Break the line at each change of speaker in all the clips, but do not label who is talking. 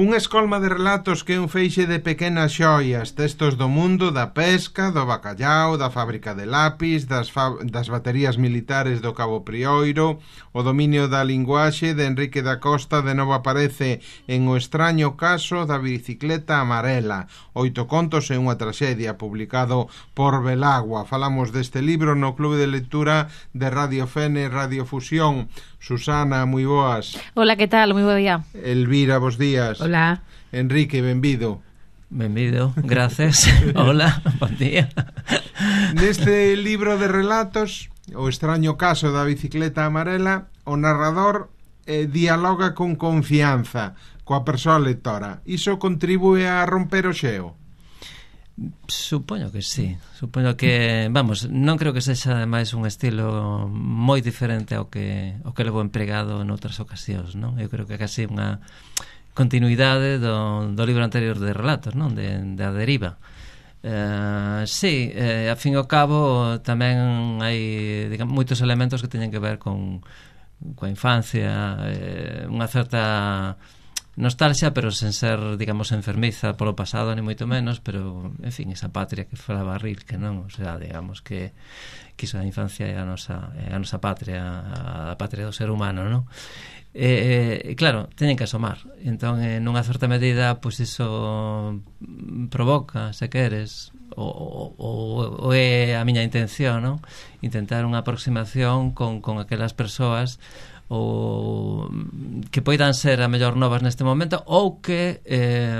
Unha escolma de relatos que é un feixe de pequenas xoias, textos do mundo da pesca, do bacallao, da fábrica de lápis, das baterías militares do Cabo Prioiro, o dominio da linguaxe de Enrique da Costa de novo aparece en O extraño caso da bicicleta amarela, 8 contos e unha traxedia, publicado por Belagua. Falamos deste libro no Clube de Lectura de Radio Fene, Radio Fusión. Susana, moi boas.
Hola, que tal? Moi bo día.
Elvira, bos días.
Hola.
Enrique, benvido.
Benvido, gracias. Hola, bon día.
Neste libro de relatos, O extraño caso da bicicleta amarela, o narrador dialoga con confianza coa persoa lectora. Iso contribúe a romper o xeo?
Supoño que sí. Supoño que, vamos, non creo que sexa ademais un estilo moi diferente ao que levo empregado noutras ocasións, non? Eu creo que é casi unha continuidade do libro anterior de relatos, non? De A deriva. Sí, a fin e ao cabo tamén hai, digamos, moitos elementos que teñen que ver coa infancia, unha certa nostalgia, pero sen ser, digamos, enfermiza polo pasado, ni moito menos, pero, en fin, esa patria que falaba Rilke, non? O sea, digamos que iso a infancia é a nosa patria, a patria do ser humano, non? E claro, teñen que asomar. Entón, nunha certa medida, pois iso provoca, se queres, ou é a miña intención, non? Intentar unha aproximación con aquelas persoas ou que poidan ser a mellor novas neste momento, ou que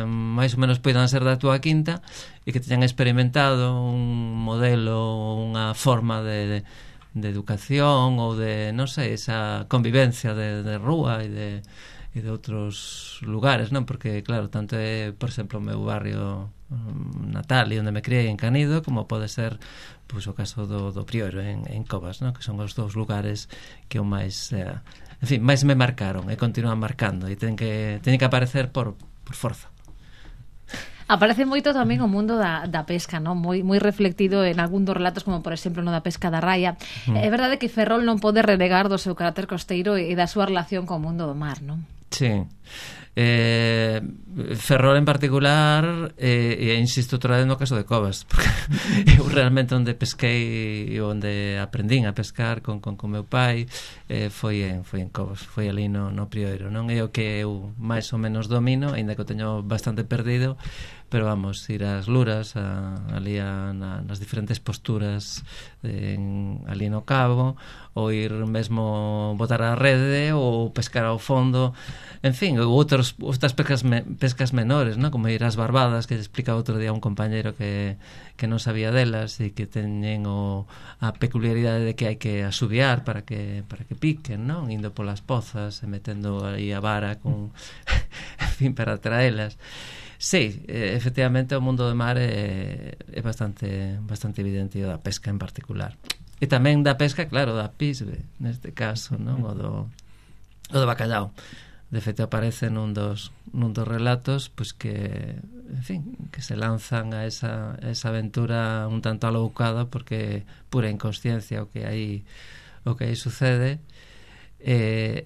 máis ou menos poidan ser da túa quinta e que teñan experimentado un modelo, unha forma de educación ou de, non sei, esa convivencia de rúa e de outros lugares, non? Porque, claro, tanto é, por exemplo, o meu barrio natal e onde me criei en Canido, como pode ser, pois, o caso do Prioiro en Covas, non? Que son os dous lugares que o máis, en fin, máis me marcaron e continúan marcando, e teñen que aparecer por forza.
Aparece moito tamén o mundo da pesca, non? Moi reflectido en algún dos relatos, como por exemplo no da pesca da raia. É verdade que Ferrol non pode renegar do seu carácter costeiro e da súa relación co mundo do mar, non?
Sí. Ferrol en particular, e insisto outra vez no caso de Covas, porque eu realmente onde pesquei e onde aprendín a pescar con meu pai foi en Covas, foi ali no Prioiro, non? É o que eu máis ou menos domino, aínda que o teño bastante perdido, pero vamos, ir ás luras ali nas diferentes posturas ali no cabo, ou ir mesmo botar a rede ou pescar ao fondo, en fin, ou outras pescas menores, ¿no? Como ir ás barbadas, que explica outro día un compañero que non sabía delas e que teñen a peculiaridade de que hai que asubiar para que piquen, non? Indo polas pozas e metendo aí a vara con en fin, para atraelas. Sí, efectivamente o mundo do mar é bastante evidente, o da pesca en particular. E tamén da pesca, claro, da pisbe, neste caso, non? O do bacallao. De feito aparece nun dos relatos, pois que, en fin, que se lanzan a esa aventura un tanto aloucada, porque pura inconsciencia o que aí sucede. E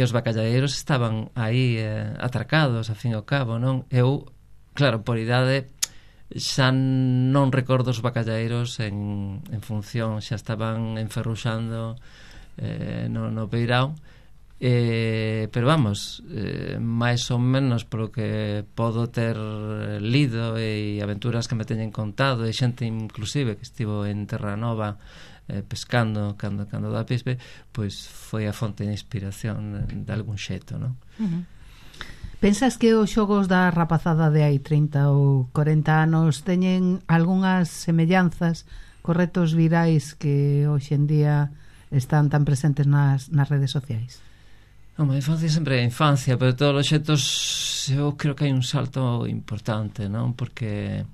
os bacalladeiros estaban aí atracados, a fin e ao cabo, non? Eu, claro, por idade xa non recordo os bacalladeiros en función, xa estaban enferruxando no peirao, pero vamos, máis ou menos polo que podo ter lido e aventuras que me teñen contado, e xente inclusive que estivo en Terranova pescando cando da pisbe, pois foi a fonte de inspiración de algún xeito, non?
Pensas que os xogos da rapazada de hai 30 ou 40 anos teñen algunhas semellanzas cos retos virais que hoxe en día están tan presentes nas redes sociais?
A infancia sempre é a infancia, pero de todos os xetos eu creo que hai un salto importante, non? Porque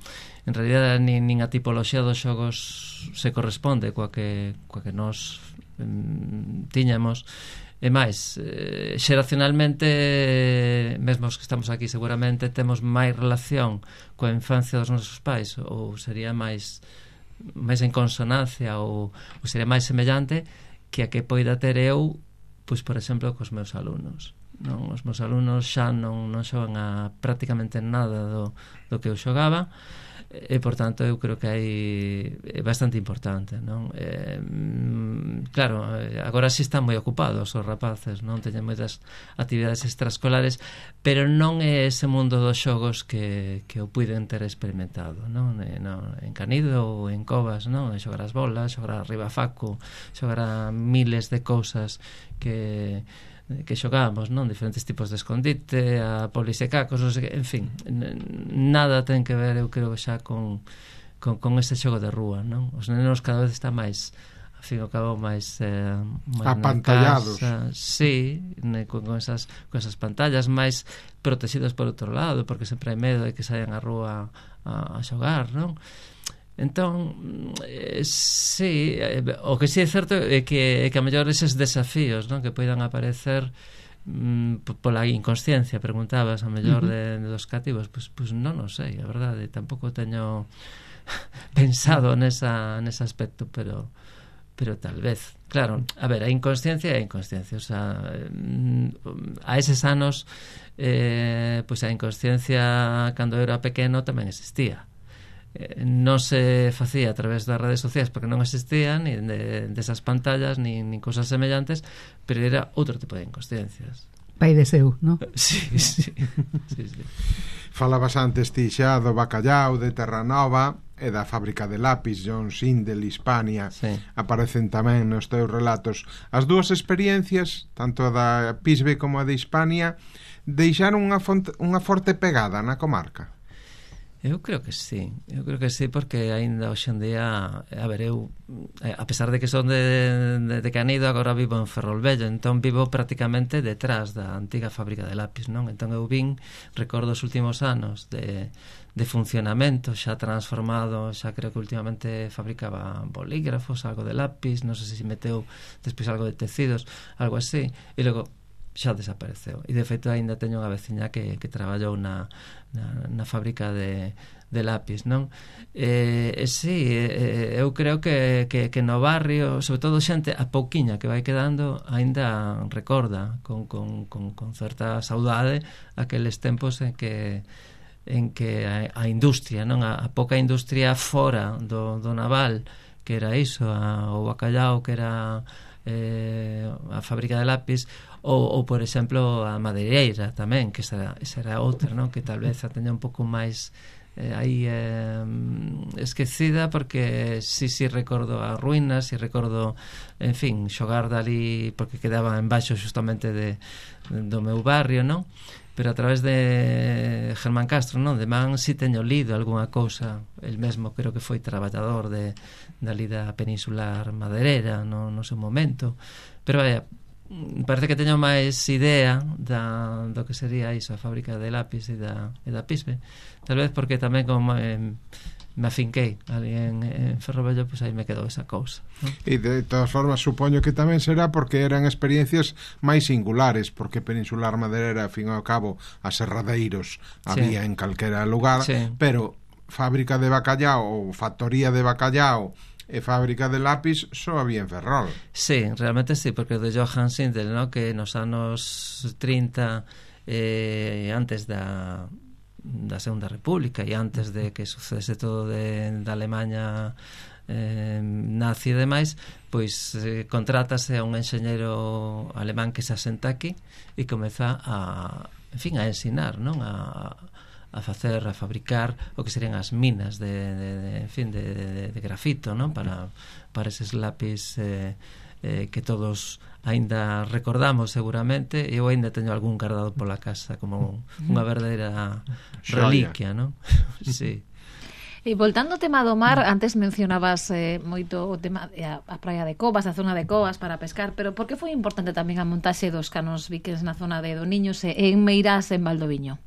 en realidad nin a tipoloxía dos xogos se corresponde coa que nós tiñamos. E máis, xeracionalmente, mesmo os que estamos aquí seguramente temos máis relación coa infancia dos nosos pais, ou sería máis en consonancia, ou sería máis semellante que a que poida ter eu, pois, por exemplo, cos meus alumnos. non? Os meus alumnos xa non xogan a prácticamente nada do que eu xogaba, e por tanto eu creo que é bastante importante, non? Claro, agora si están moi ocupados os rapaces, non teñen moitas actividades extraescolares, pero non é ese mundo dos xogos que eu puiden ter experimentado, non? En Canido ou en Covas, non? Xogar as bolas, xogar a ribafaco, xogar a miles de cousas que xogábamos, non? Diferentes tipos de escondite, a polisecacos, non sei que, en fin, nada ten que ver, eu creo, xa con ese xogo de rúa, non? Os nenos cada vez están máis, ao fin e ao cabo, máis
apantallados.
Sí, con esas pantallas, máis protegidos por outro lado, porque sempre hai medo de que saian á rúa a xogar, non? Entón, sí, o que sí é certo é que a mellor eses desafíos, non, que poidan aparecer pola inconsciencia, preguntabas a mellor dos cativos, pues non o sei, a verdade, tampouco teño pensado nese aspecto, pero tal vez, claro, a ver, a inconsciencia é a inconsciencia, o sea, a eses anos pois a inconsciencia cando era pequeno tamén existía. Non se facía a través das redes sociais porque non existían, nin desas pantallas, nin cosas semellantes, pero era outro tipo de inconsciencias.
Pai de seu, non?
Sí.
Falabas antes ti xa do bacallau de Terranova e da fábrica de lápis John Sindel, Hispania, sí. Aparecen tamén nos teus relatos. As dúas experiencias, tanto a da Pisbe como a de Hispania, deixaron unha forte pegada na comarca.
Eu creo que sí, porque aínda hoxe en día, a ver, eu a pesar de que son de Canido, agora vivo en Ferrolvello, entón vivo prácticamente detrás da antiga fábrica de lápis, non? Entón eu recordo os últimos anos de funcionamento, xa transformado, xa creo que últimamente fabricaba bolígrafos, algo de lápis, non sei se meteu despois algo de tecidos, algo así, e logo xa desapareceu. E de feito aínda teño unha veciña que traballou na fábrica de lápis, non? Sí, eu creo que no barrio, sobre todo xente a pouquiña que vai quedando, aínda recorda con certa saudade aqueles tempos en que a industria, non? A pouca industria fora do naval, que era iso, o bacallau, que era a fábrica de lápis, ou por exemplo a madeireira tamén, que esa era outra, non? Que tal vez a teña un pouco máis aí esquecida, porque sí recordo as ruínas, sí recordo, en fin, xogar dali, porque quedaba embaixo justamente do meu barrio, non? Pero a través de Germán Castro, non? De man sí teño lido algunha cousa, el mesmo creo que foi traballador dali da peninsular madereira no seu momento, pero parece que teño máis idea do que sería iso, a fábrica de lápis e da Pisbe, tal vez porque tamén como me afinquei ali en Ferrolvello, pois aí me quedou esa cousa, non?
E de todas formas supoño que tamén será porque eran experiencias máis singulares, porque Peninsular Madeira, ao fin e ao cabo, aserradeiros había en calquera lugar, pero fábrica de bacallau ou factoría de bacallau e fábrica de lápis só había en Ferrol.
Sí, realmente sí, porque o de Johann Sindel, ¿no? Que nos anos 30, antes da Segunda República e antes de que sucedese todo da Alemanha nazi e demais, pois contrátase a un enxeñeiro alemán que se asenta aquí e comeza a ensinar, non? A fabricar o que serían as minas de grafito, non? Para eses lápis que todos aínda recordamos seguramente, e eu aínda teño algún guardado pola casa como unha verdadeira reliquia, non? Sí.
E voltando ao tema do mar, antes mencionabas moito o tema a praia de Covas, a zona de Covas para pescar, pero por que foi importante tamén a montaxe dos canos viquens na zona de Doniños e en Meirás, en Valdoviño?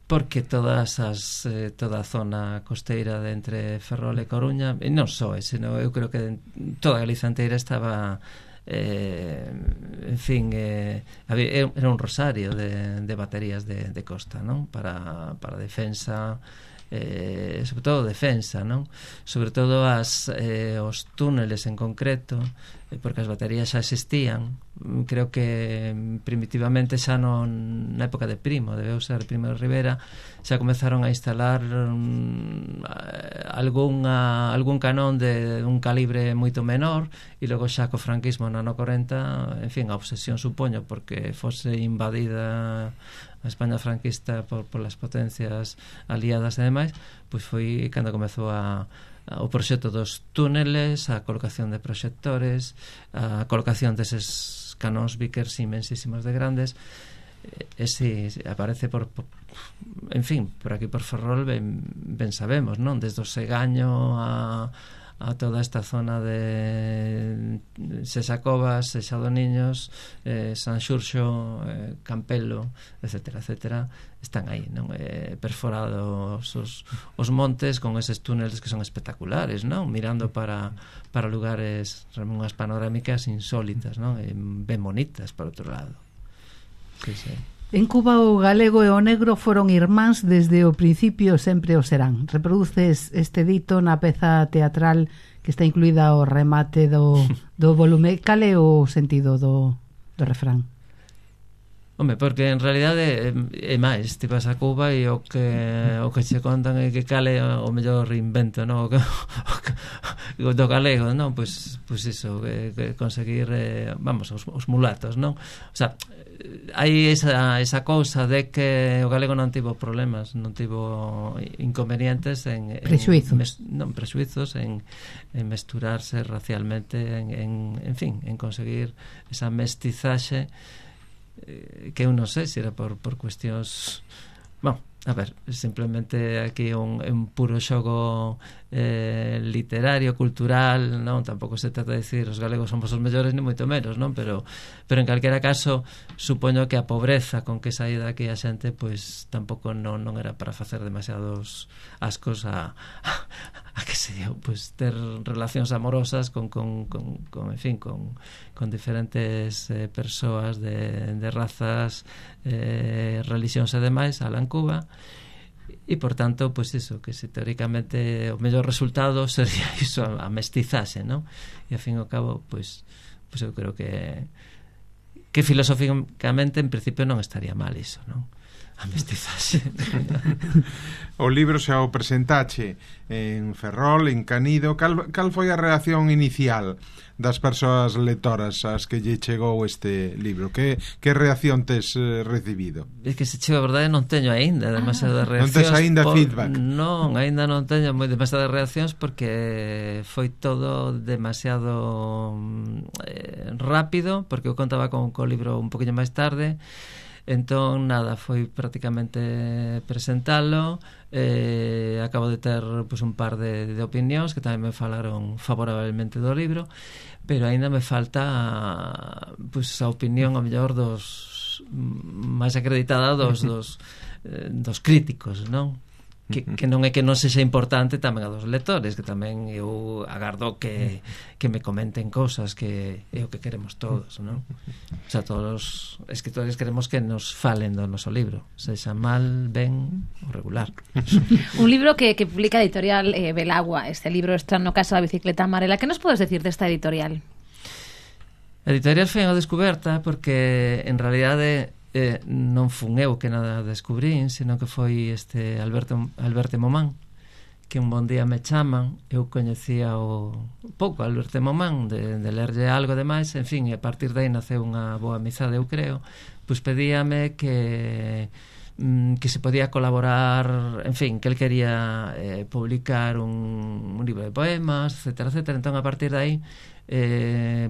Porque toda a zona costeira de entre Ferrol e Coruña, e non só ese, eu creo que toda a Galiza inteira estaba en fin, era un rosario de baterías de costa, non? Para defensa, sobre todo defensa, non? Sobre todo os túneles en concreto, porque as baterías xa existían creo que primitivamente xa na época de Primo, debeu ser Primo de Rivera, xa comezaron a instalar algún canón de un calibre moito menor, e logo xa co franquismo no ano 40, en fin, a obsesión supoño porque fose invadida a España franquista por las potencias aliadas e demais, pois foi cando comezou o proxecto dos túneles, a colocación de proxectores, a colocación deses canóns Vickers inmensísimos de grandes, ese aparece en fin, por aquí por Ferrol ben sabemos, non? Desde o Segaño a toda esta zona de Sesacovas, Seixadoniños, San Xurxo, Campelo, etcétera, etcétera, están aí, non? Perforados os montes con eses túneles que son espectaculares, non? Mirando para lugares, unhas panorámicas insólitas, non? Ben bonitas, por outro lado. Sí, sí.
En Cuba o galego e o negro foron irmáns desde o principio, sempre o serán. Reproduces este dito na peza teatral que está incluída ao remate do volume. Cal é o sentido do refrán?
Home, porque en realidade é máis, ti vas a Cuba e o que che contan é que cale o mellor invento, non? O do galego, non? Pois iso, que conseguir os mulatos, non? O sea, hai esa cousa de que o galego non tivo problemas, non tivo inconvenientes
prexuizos
en mesturarse racialmente, en fin, en conseguir esa mestizaxe que eu non sei se era por cuestións, a ver, simplemente aquí un puro xogo literario, cultural, non? Tampouco se trata de decir os galegos somos os mellores ni moito menos, non? Pero en calquera caso supoño que a pobreza con que saída aquí a xente pois tampouco non era para facer demasiados ascos a que se dio, pois ter relacións amorosas con en fin, con diferentes persoas de razas, religións e demais alá en Cuba. E por tanto, pois iso, que se teóricamente o mellor resultado sería iso, a mestizaxe, non? E ao fin e ao cabo, pois eu creo que filosóficamente en principio non estaría mal iso, non? A mestizaxe.
O libro xa o presentache en Ferrol, en Canido. Cal foi a reacción inicial das persoas lectoras ás que lle chegou este libro? Que reacción tes recibido?
É que se chega a verdade non teño aínda demasiadas reaccións.
Non tes aínda feedback?
Non, aínda non teño demasiadas reaccións porque foi todo demasiado rápido, porque eu contaba con o libro un poquinho máis tarde. Entón, nada, foi prácticamente presentalo. Acabo de ter un par de opinións que tamén me falaron favorablemente do libro, pero aínda me falta a opinión ao mellor dos máis acreditada dos críticos, non? Que non é que non sexa importante tamén a dos lectores, que tamén eu agardo que me comenten cousas, que é o que queremos todos, non? O sea, todos os escritores queremos que nos falen do noso libro, sexa mal, ben ou regular.
Un libro que publica a editorial Belagua. Este libro está no caso da bicicleta amarela. Que nos podes decir desta editorial?
A editorial foi unha descoberta porque en realidade non fun eu que nada descubrín, sino que foi este Alberto Momán, que un bon día me chaman. Eu coñecía pouco Alberto Momán de lerlle algo demais, en fin, e a partir de aí naceu unha boa amizade, eu creo. Pois pedíame que se podía colaborar, en fin, que el quería publicar un libro de poemas, etcétera, etcétera. Entón, a partir de aí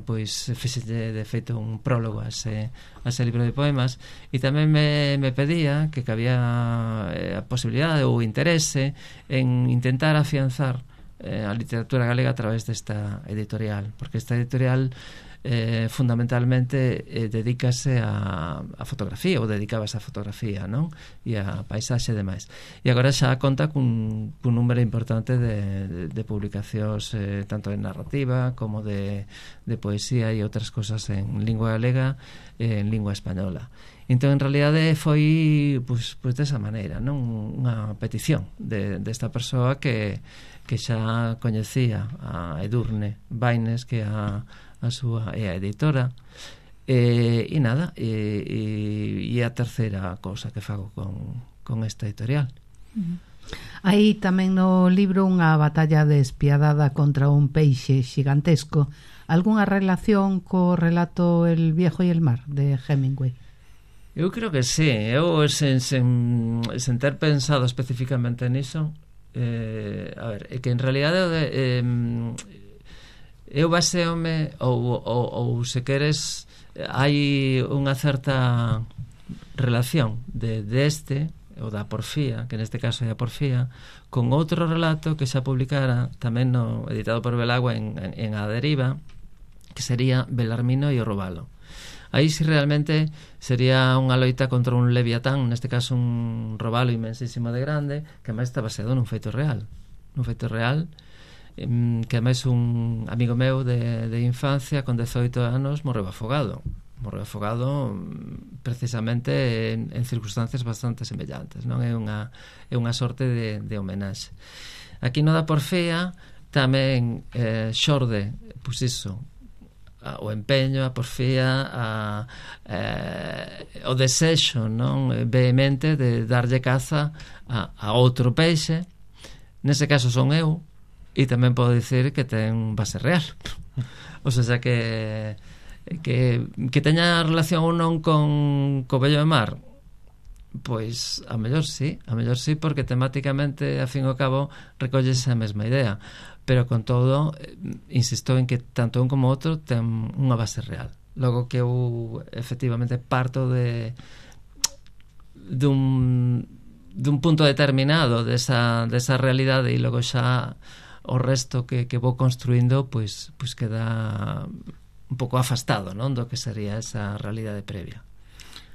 pois fixelle de feito un prólogo a ese libro de poemas, e tamén me pedía que había a posibilidade ou interese en intentar afianzar a literatura galega a través desta editorial, porque esta editorial fundamentalmente dedícase a fotografía, ou dedicabase a fotografía, non? E a paisaxe e demais. E agora xa conta cun número importante de publicacións tanto de narrativa como de poesía e outras cosas en lingua galega e en lingua española. Entón, en realidade, foi pois desa maneira, non? Unha petición desta persoa que xa coñecía a Edurne Baines, que a súa é a editora, e nada, e a terceira cousa que fago con esta editorial.
Hai tamén no libro unha batalla despiadada contra un peixe xigantesco. Algúnha relación co relato El viejo e el mar de Hemingway?
Eu creo que sí. Eu sen ter pensado especificamente niso, a ver, é que en realidade eu baseome ou se queres hai unha certa relación deste ou da porfía, que neste caso é a porfía, con outro relato que xa publicara tamén editado por Belagua en A Deriva, que sería Belarmino e o Robalo. Aí si realmente sería unha loita contra un leviatán, neste caso un robalo inmensísimo de grande, que máis está baseado nun feito real, que máis un amigo meu de infancia con 18 anos morreu afogado precisamente en circunstancias bastante semellantes, non? É unha sorte de homenaxe. Aquí no da porfía tamén xorde, pois iso, o empeño, a porfía, o desexo, non, vehemente de darlle caza a outro peixe. Nese caso son eu, e tamén podo dicir que ten base real. O sea que teña relación ou non co vello de mar, pois a mellor sí, porque temáticamente a fin e ao cabo recollese a mesma idea, pero con todo insisto en que tanto un como outro ten unha base real. Logo que eu efectivamente parto dun punto determinado desa realidade, e logo xa o resto que vou construindo pois queda un pouco afastado, non, do que sería esa realidade previa.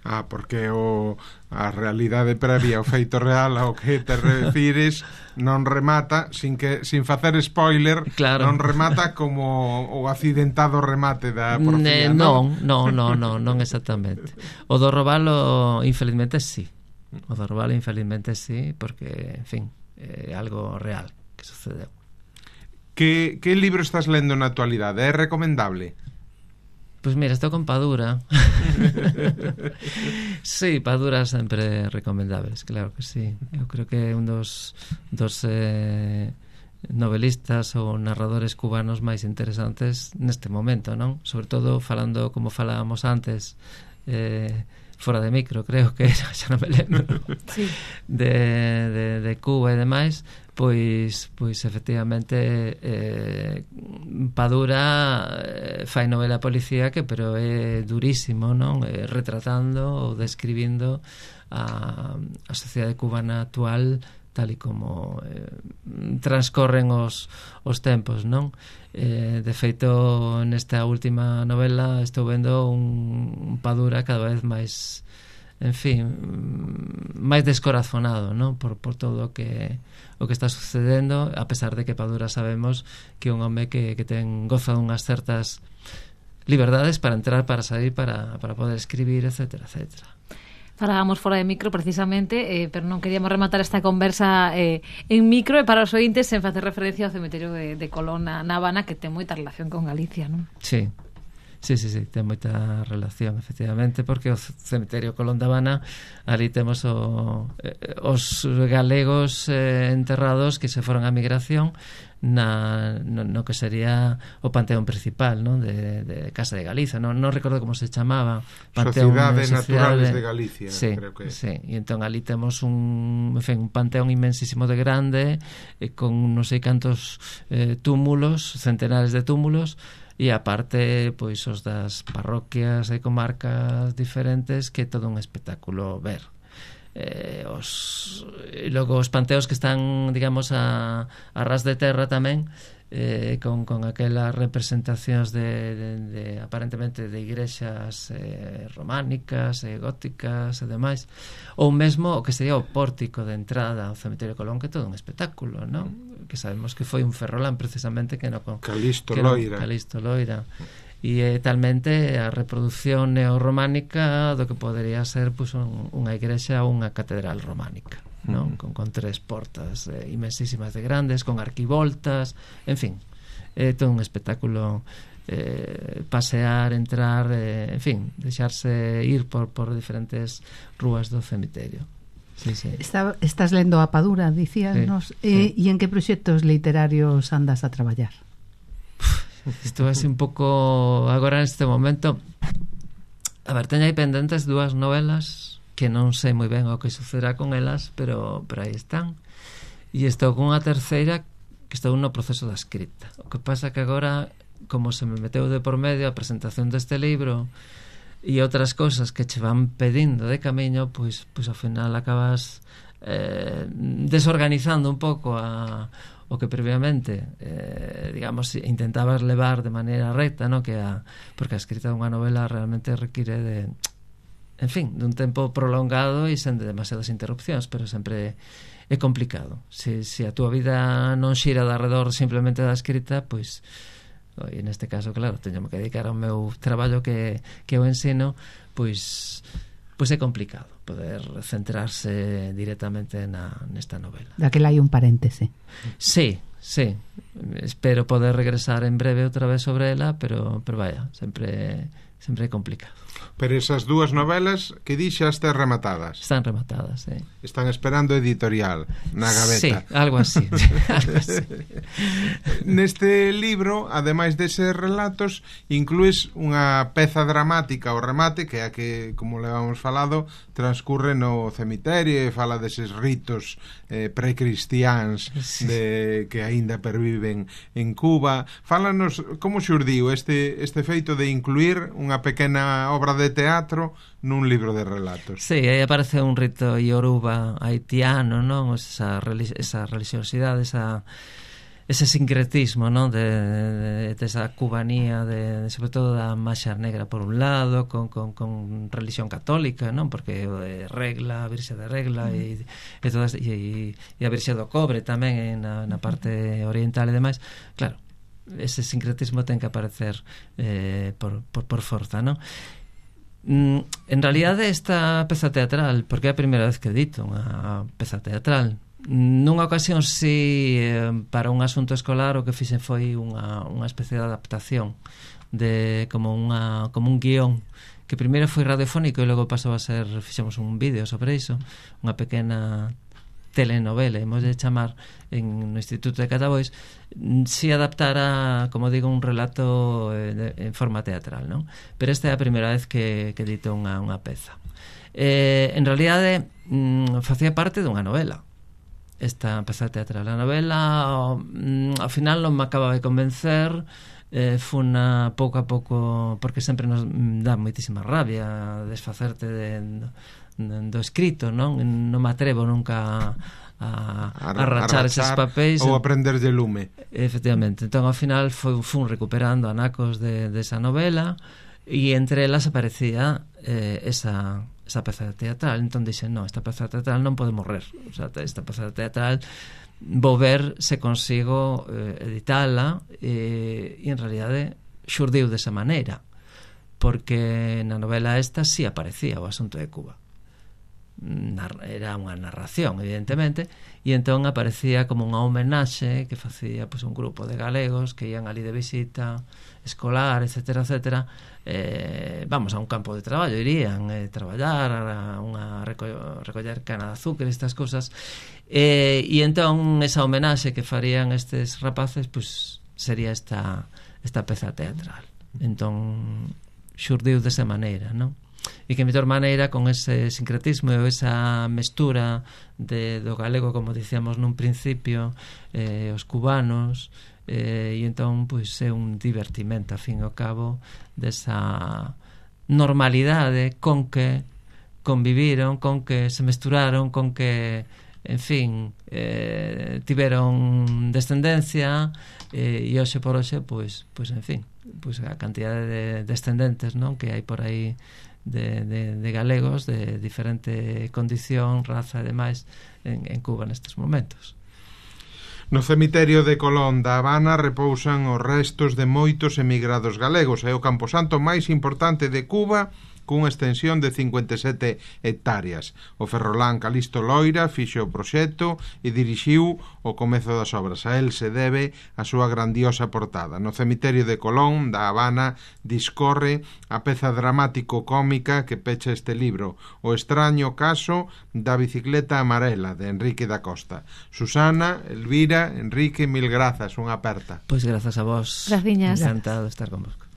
Porque a realidade previa, o feito real ao que te refires, non remata, sin facer spoiler, claro. Non remata como o accidentado remate da porfía, non?
Non exactamente. O do Robalo, infelizmente, sí. Porque, en fin, é algo real que sucedeu.
Que libro estás lendo na actualidade? É recomendable?
Pois mira, estou con Padura. Sí, Padura sempre recomendables, claro que sí. Eu creo que é un dos novelistas ou narradores cubanos máis interesantes neste momento, non? Sobre todo falando, como falábamos antes, fora de micro, creo que era, xa non me lembro, sí. de Cuba e demais. Pois efectivamente Padura fai novela policíaca, pero é durísimo, non? Retratando ou describindo a sociedade cubana actual tal e como transcorren os tempos, non? De feito, nesta última novela estou vendo un Padura cada vez máis, en fin, máis descorazonado, non? Por todo o que está sucedendo, a pesar de que Padura sabemos que é un home que goza dunhas certas liberdades para entrar, para sair, para poder escribir, etcétera.
Falábamos fora de micro precisamente, pero non queríamos rematar esta conversa en micro, e para os ointes sen facer referencia ao cemiterio de Colón na Habana, que ten moita relación con Galicia, non?
Sí, ten moita relación, efectivamente, porque o cemiterio Colón da Habana, ali temos os galegos enterrados que se foron á migración no que sería o panteón principal, non? De Casa de Galiza, non recordo como se chamaba,
Sociedades Naturales de Galicia,
sí,
creo que
sí, e entón ali temos un panteón inmensísimo de grande, con non sei cantos túmulos, centenares de túmulos, e aparte pois os das parroquias e comarcas diferentes, que é todo un espectáculo ver. Logo os panteos que están, digamos, a ras de terra tamén, con aquelas representacións de aparentemente de igrexas románicas e góticas e demais, ou mesmo o que sería o pórtico de entrada ao cemiterio Colón, que é todo un espectáculo, non? Que sabemos que foi un ferrolán precisamente que
Calisto
Loira, e talmente a reproducción neorrománica do que podería ser pois, unha igrexa ou unha catedral románica, non? Con 3 portas inmensísimas de grandes, con arquivoltas, en fin, é todo un espectáculo pasear, entrar, en fin, deixarse ir por diferentes rúas do cemiterio. Sí, sí.
Estás lendo A Padura, dicíanos,
sí.
E en que proxectos literarios andas a traballar?
Isto é un pouco agora neste momento. A ver, teño aí pendentes 2 novelas que non sei moi ben o que sucederá con elas, pero aí están. E estou con unha terceira que estou no proceso da escrita. O que pasa que agora, como se me meteu de por medio a presentación deste libro e outras cousas que che van pedindo de camiño, pois ao final acabas desorganizando un pouco o que previamente digamos intentabas levar de maneira recta, no? Porque a escrita dunha novela realmente require de, en fin, dun tempo prolongado e sen de demasiadas interrupcións, pero sempre é complicado. Se a túa vida non xira de arredor simplemente da escrita, pois e neste caso, claro, teño que dedicar ao meu traballo que o ensino, pois é complicado poder centrarse directamente nesta novela.
Daquela hai un paréntese.
Sí, espero poder regresar en breve outra vez sobre ela, pero vaya, sempre é complicado.
Pero esas 2 novelas que dixaste rematadas.
Están rematadas, sí.
Están esperando editorial na gaveta.
Sí, algo así.
Neste libro, ademais deses relatos, incluís unha peza dramática ao remate, que é a que, como levamos falado, transcurre no cemiterio e fala deses ritos precristiáns que aínda perviven en Cuba. Fálanos como xurdiu este feito de incluir unha pequena obra de teatro nun libro de relatos.
Sí, aí aparece un rito ioruba haitiano, non? Esa religiosidade, ese sincretismo, non? De esa cubanía, sobre todo da Maxa Negra por un lado, con religión católica, non? Porque regla, a Virxe de Regla e a Virxe do Cobre tamén na parte oriental e demais. Claro, ese sincretismo ten que aparecer por forza, non? En realidade esta peza teatral, porque é a primeira vez que edito unha peza teatral, nunha ocasión para un asunto escolar o que fixen foi unha especie de adaptación de como un guión que primeiro foi radiofónico e logo pasou a ser, fixemos un vídeo sobre iso, unha pequena telenovela, hemos de chamar, no Instituto de Catabois, si adaptara, como digo, un relato en forma teatral, non? Pero esta é a primeira vez que edito unha peza. En realidade, facía parte dunha novela, esta peza teatral. A novela, ao final, non me acaba de convencer, funa pouco a pouco, porque sempre nos dá moitísima rabia desfacerte do escrito, non me atrevo nunca a rachar eses papéis
ou aprender de lume.
Efectivamente, entón ao final fun recuperando anacos desa novela e entre elas aparecía esa peza teatral. Entón dixen, non, esta peza teatral non pode morrer, o sea, esta peza teatral vou ver se consigo editala e en realidade xurdiu desa maneira, porque na novela esta sí aparecía o asunto de Cuba. Era unha narración, evidentemente, e entón aparecía como unha homenaxe que facía un grupo de galegos que ian ali de visita escolar, etcétera, etcétera, vamos a un campo de traballo, irían traballar a recoller cana de azúcar, estas cosas, e entón esa homenaxe que farían estes rapaces sería esta peza teatral. Entón xurdiu desa maneira, non? E que mellor maneira con ese sincretismo e esa mestura do galego, como dicíamos nun principio, os cubanos, e entón é un divertimento, a fin e ao cabo, desa normalidade con que conviviron, con que se mesturaron, con que, en fin, tiveron descendencia, e hoxe por hoxe, en fin, a cantidade de descendentes, non, que hai por aí de galegos de diferente condición, raza e demais en Cuba nestes momentos.
No cemiterio de Colón da Habana repousan os restos de moitos emigrados galegos. É o camposanto máis importante de Cuba cunha extensión de 57 hectáreas. O ferrolán Calisto Loira fixo o proxecto e dirixiu o comezo das obras. A el se debe a súa grandiosa portada. No cemiterio de Colón, da Habana, discorre a peza dramático-cómica que pecha este libro, O extraño caso da bicicleta amarela, de Enrique da Costa. Susana, Elvira, Enrique, mil grazas, unha aperta.
Pois grazas a vos.
Graciñas.
Encantado de estar con vos.